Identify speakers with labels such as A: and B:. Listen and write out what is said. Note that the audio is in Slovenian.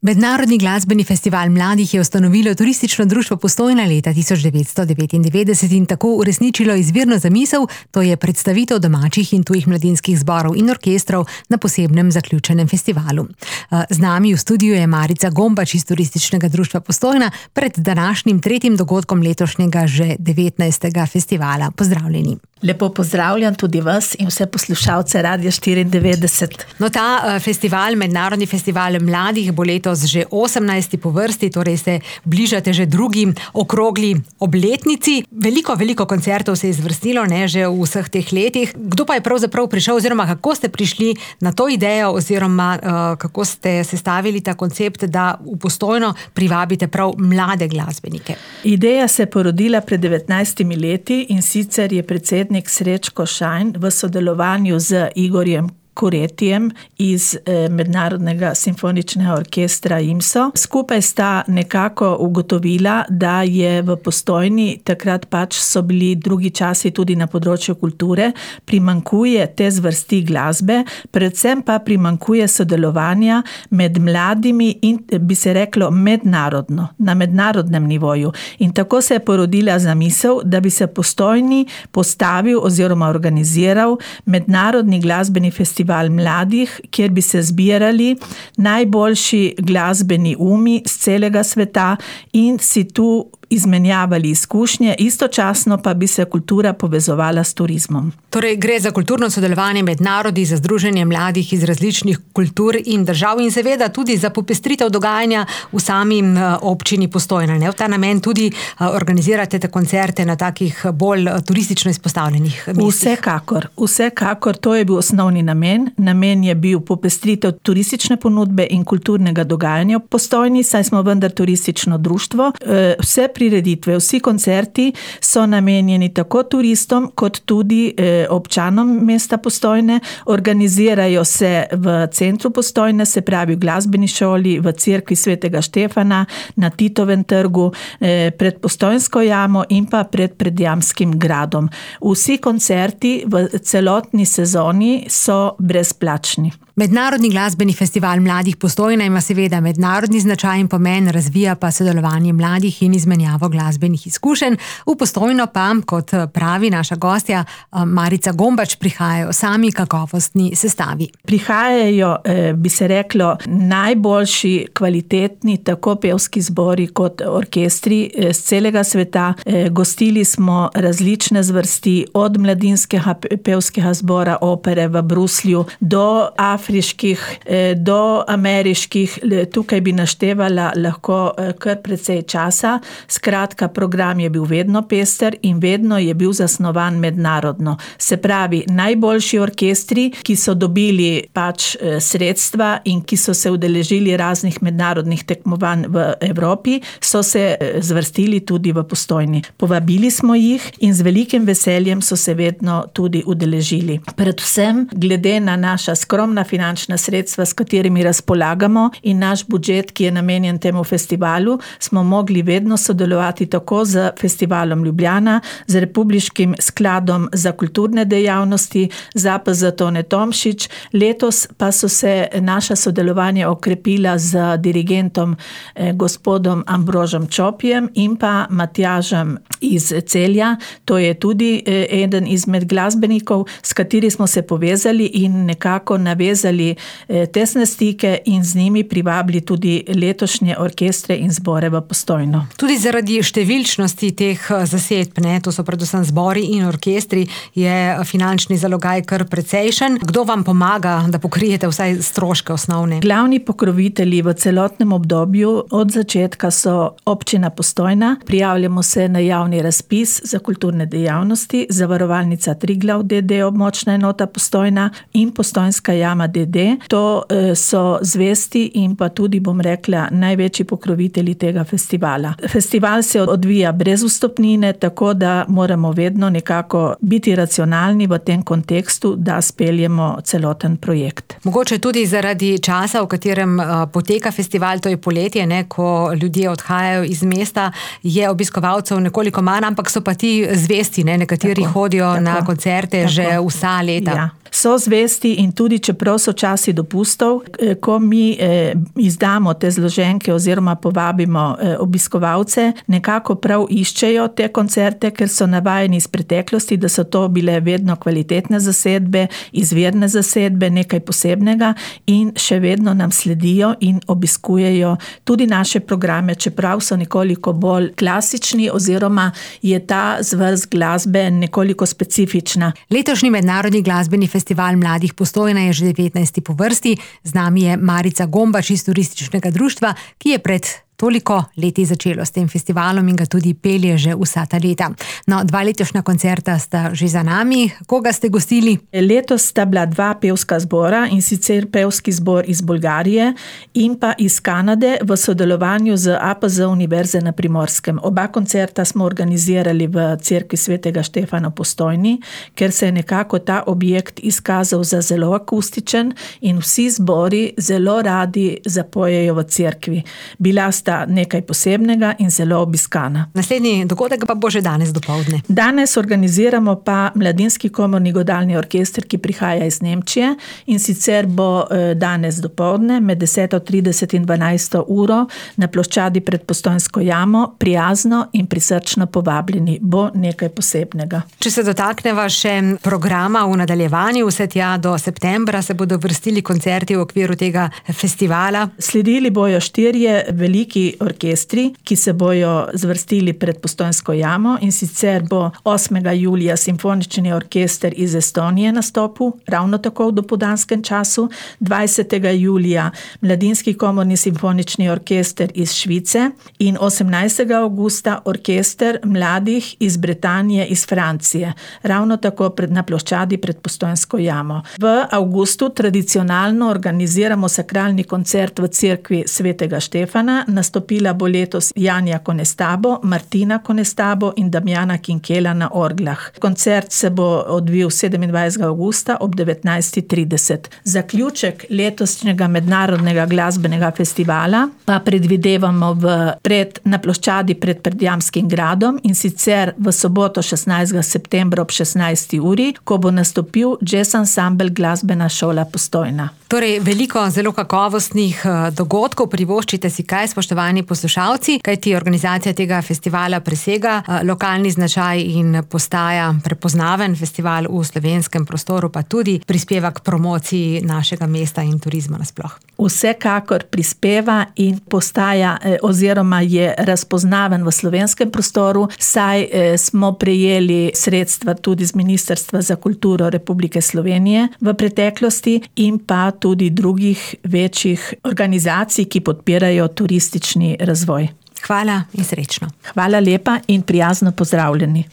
A: Mednarodni glasbeni festival mladih je ustanovilo Turistično društvo Postojna leta 1999 in tako uresničilo izvirno zamisel, to je predstavitev domačih in tujih mladinskih zborov in orkestrov na posebnem zaključenem festivalu. Z nami v studiu je Marica Gombač iz Turističnega društva Postojna pred današnjim tretjim dogodkom letošnjega že 19. festivala. Pozdravljeni.
B: Lepo pozdravljam tudi vas in vse poslušalce Radia 94.
A: No, ta festival, Mednarodni festival mladih, bo letos že 18. po vrsti, torej se bližate že drugi okrogli obletnici. Veliko koncertov se je izvrstilo, ne, že v vseh teh letih. Kdo pa je pravzaprav prišel, oziroma kako ste prišli na to idejo, oziroma kako ste sestavili ta koncept, da v Postojno privabite prav mlade glasbenike?
B: Ideja se je porodila pred 19 leti in sicer je predsednik Srečko Šajn v sodelovanju z Igorjem Kuretijem iz Mednarodnega simfoničnega orkestra IMSO. Skupaj sta nekako ugotovila, da je v Postojni, takrat pač so bili drugi časi tudi na področju kulture, primanjkuje te zvrsti glasbe, predvsem pa primanjkuje sodelovanja med mladimi in bi se reklo mednarodno, na mednarodnem nivoju. In tako se je porodila zamisel, da bi se Postojni postavil oziroma organiziral mednarodni glasbeni festival mladih, kjer bi se zbirali najboljši glasbeni umi z celega sveta in si tu izmenjavali izkušnje, istočasno pa bi se kultura povezovala s turizmom.
A: Torej gre za kulturno sodelovanje med narodi, za združenje mladih iz različnih kultur in držav in seveda tudi za popestritev dogajanja v sami občini Postojna. Ne? V ta namen tudi organizirate te koncerte na takih bolj turistično izpostavljenih mestih.
B: Vsekakor, to je bil osnovni namen. Namen je bil popestritev turistične ponudbe in kulturnega dogajanja v Postojni, saj smo vendar turistično društvo. Vse prireditve, vsi koncerti so namenjeni tako turistom kot tudi občanom mesta Postojne. Organizirajo se v centru Postojne, se pravi v glasbeni šoli, v cerkvi Svetega Štefana, na Titovem trgu, pred Postojnsko jamo in pa pred Predjamskim gradom. Vsi koncerti v celotni sezoni so brezplačni.
A: Mednarodni glasbeni festival mladih Postojna ima seveda mednarodni značaj in pomen, razvija pa sodelovanje mladih in izmenjavo glasbenih izkušenj. V Postojno pa, kot pravi naša gostja Marica Gombač, prihajajo sami kakovostni sestavi.
B: Prihajajo, bi se reklo, najboljši, kvalitetni, tako pevski zbori kot orkestri z celega sveta. Gostili smo različne zvrsti, od mladinskega pevskega zbora opere v Bruslju do afriških, do ameriških, tukaj bi naštevala lahko kar precej časa. Skratka, program je bil vedno pester in vedno je bil zasnovan mednarodno. Se pravi, najboljši orkestri, ki so dobili pač sredstva in ki so se udeležili raznih mednarodnih tekmovanj v Evropi, so se zvrstili tudi v Postojni. Povabili smo jih in z velikim veseljem so se vedno tudi udeležili. Predvsem, glede na naša skromna finančna sredstva, s katerimi razpolagamo, in naš budžet, ki je namenjen temu festivalu, smo mogli vedno sodelovati tako z Festivalom Ljubljana, z Republiškim skladom za kulturne dejavnosti, ZAPZ Tone Tomšič. Letos pa so se naša sodelovanja okrepila z dirigentom gospodom Ambrožem Čopijem in pa Matjažem iz Celja. To je tudi eden izmed glasbenikov, s kateri smo se povezali in nekako navezali tesne stike in z njimi privabili tudi letošnje orkestre in zbore v Postojno.
A: Tudi zaradi številčnosti teh zasedb, ne, to so predvsem zbori in orkestri, je finančni zalogaj kar precejšen. Kdo vam pomaga, da pokrijete vsaj stroške osnovne?
B: Glavni pokrovitelji v celotnem obdobju od začetka so občina Postojna. Prijavljamo se na javni razpis za kulturne dejavnosti, Zavarovalnica Triglav d.d., območna enota Postojna in Postojnska jama d.d. To so zvesti in pa tudi, bom rekla, največji pokrovitelji tega festivala. Festival se odvija brez vstopnine, tako da moramo vedno nekako biti racionalni v tem kontekstu, da speljemo celoten projekt.
A: Mogoče tudi zaradi časa, v katerem poteka festival, to je poletje, ne, ko ljudje odhajajo iz mesta, je obiskovalcev nekoliko manj, ampak so pa ti zvesti, ne, nekateri hodijo na koncerte že vsa leta.
B: Ja. so zvesti in tudi čeprav so časi dopustov, ko mi izdamo te zloženke oziroma povabimo obiskovalce, nekako prav iščejo te koncerte, ker so navajeni iz preteklosti, da so to bile vedno kvalitetne zasedbe, izvirne zasedbe, nekaj posebnega in še vedno nam sledijo in obiskujejo tudi naše programe, čeprav so nekoliko bolj klasični oziroma je ta zvrst glasbe nekoliko specifična.
A: Letošnji mednarodni glasbeni festival mladih Postojna je že 19. po vrsti. Z nami je Marica Gombač iz Turističnega društva, ki je pred toliko leti začelo s tem festivalom in ga tudi pelje že vsa ta leta. No, 2 letošnja koncerta sta že za nami. Koga ste gostili?
B: Letos sta bila 2 pevska zbora, in sicer pevski zbor iz Bolgarije in pa iz Kanade v sodelovanju z APZ Univerze na Primorskem. Oba koncerta smo organizirali v cerkvi svetega Štefana v Postojni, ker se je nekako ta objekt izkazal za zelo akustičen in vsi zbori zelo radi zapojejo v cerkvi. Bila sta nekaj posebnega in zelo obiskana.
A: Naslednji dogodek pa bo že danes dopoldne.
B: Danes organiziramo pa Mladinski komorni godalni orkester, ki prihaja iz Nemčije, in sicer bo danes dopoldne med 10:30 in 12. uro na ploščadi pred Postojnsko jamo, prijazno in prisrčno povabljeni. Bo nekaj posebnega.
A: Če se dotakneva še programa v nadaljevanju, vse tja do septembra se bodo vrstili koncerti v okviru tega festivala.
B: Sledili bojo 4 veliki orkestri, ki se bojo zvrstili pred Postojnsko jamo, in sicer bo 8. julija simfonični orkester iz Estonije nastopil, ravno tako v dopoldanskem času, 20. julija Mladinski komorni simfonični orkester iz Švice in 18. avgusta orkester mladih iz Britanije, iz Francije, ravno tako na ploščadi pred Postojnsko jamo. V avgustu tradicionalno organiziramo sakralni koncert v cerkvi svetega Štefana. Nastopila bo letos Janja Konestabo, Martina Konestabo in Damjana Kinkela na orglah. Koncert se bo odvil 27. avgusta ob 19:30. Zaključek letošnjega mednarodnega glasbenega festivala pa predvidevamo na ploščadi pred Predjamskim gradom, in sicer v soboto 16. septembra ob 16. uri, ko bo nastopil jazz ansambel Glasbena šola Postojna.
A: Torej, veliko zelo kakovostnih dogodkov, privoščite si kaj, spoštovani poslušalci, kajti organizacija tega festivala presega lokalni značaj in postaja prepoznaven festival v slovenskem prostoru, pa tudi prispeva k promociji našega mesta in turizma nasploh.
B: Vsekakor prispeva in postaja oziroma je razpoznaven v slovenskem prostoru, saj smo prejeli sredstva tudi z Ministrstva za kulturo Republike Slovenije v preteklosti in pa tudi drugih večjih organizacij, ki podpirajo turistični razvoj.
A: Hvala in srečno.
B: Hvala lepa in prijazno pozdravljeni.